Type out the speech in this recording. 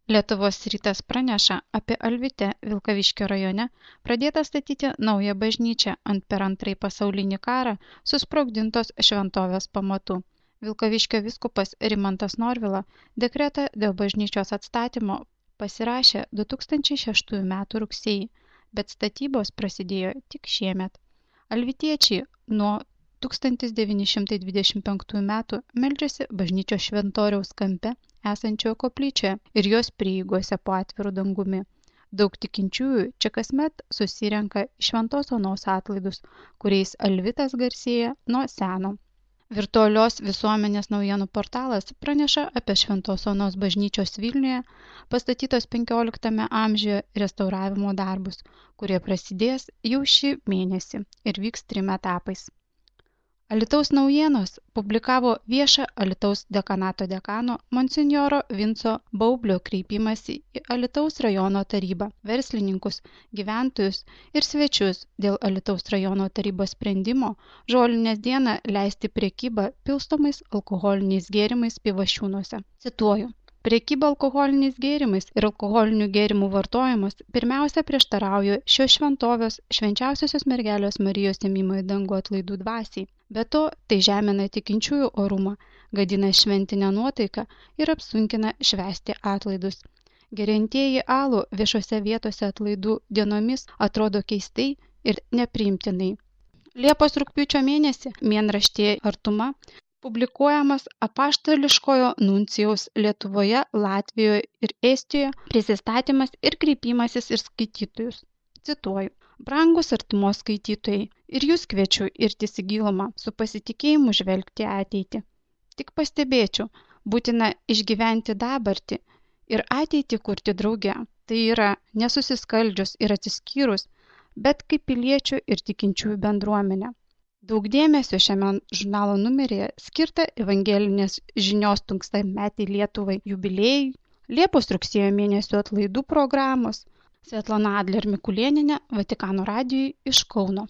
Lietuvos rytas praneša apie Alvite Vilkaviškio rajone pradėtą statyti naują bažnyčią ant per Antrąjį pasaulinį karą susprogdintos šventovės pamatų. Vilkaviškio vyskupas Rimantas Norvila dekretą dėl bažnyčios atstatymo pasirašė 2006 m. rugsėjį, bet statybos prasidėjo tik šiemet. Alvitiečiai nuo 1925 m. meldžiasi bažnyčios šventoriaus kampe esančioje koplyčioje ir jos prieigose po atviru dangumi. Daug tikinčiųjų čia kasmet susirenka į Šventos Onos atlaidus, kuriais Alvitas garsėja nuo seno. Virtualios visuomenės naujienų portalas praneša apie Šventos Onos bažnyčios Vilniuje pastatytos 15 amžiuje restauravimo darbus, kurie prasidės jau šį mėnesį ir vyks 3 etapais. Alytaus naujienos publikavo viešą Alytaus dekanato dekano monsinjoro Vinco Baublio kreipimąsi į Alytaus rajono tarybą, verslininkus, gyventojus ir svečius dėl Alytaus rajono tarybos sprendimo Žolinės dieną leisti prekybą pilstomais alkoholiniais gėrimais Pivašiūnuose. Cituoju. Prekyba alkoholiniais gėrimais ir alkoholinių gėrimų vartojimas pirmiausia prieštarauja šios šventovės švenčiausiosios mergelės Marijos ėmimo į dangų atlaidų dvasiai. Be to, tai žemina tikinčiųjų orumą, gadina šventinę nuotaiką ir apsunkina švęsti atlaidus. Geriantieji alų viešose vietose atlaidų dienomis atrodo keistai ir nepriimtinai. Liepos-rugpjūčio mėnesį mėnraštyje Artuma publikuojamas apaštališkojo nuncijaus Lietuvoje, Latvijoje ir Estijoje prisistatymas ir kreipimasis ir skaitytojus. Cituoju. Brangūs Artumos skaitytojai, ir jūs kviečiu irtis į gilumą, su pasitikėjimu žvelgti ateitį. Tik pastebėčiau, būtina išgyventi dabartį ir ateitį kurti drauge. Tai yra nesusiskaldžius ir atsiskyrus, bet kaip piliečių ir tikinčiųjų bendruomenė. Daug dėmesio šiame žurnalo numeryje skirta evangelinės žinios 100-metei Lietuvai jubiliejui, Liepos-rugsėjo mėnesio atlaidų programos. Svetlana Adler Mikulėnienė, Vatikano radijui iš Kauno.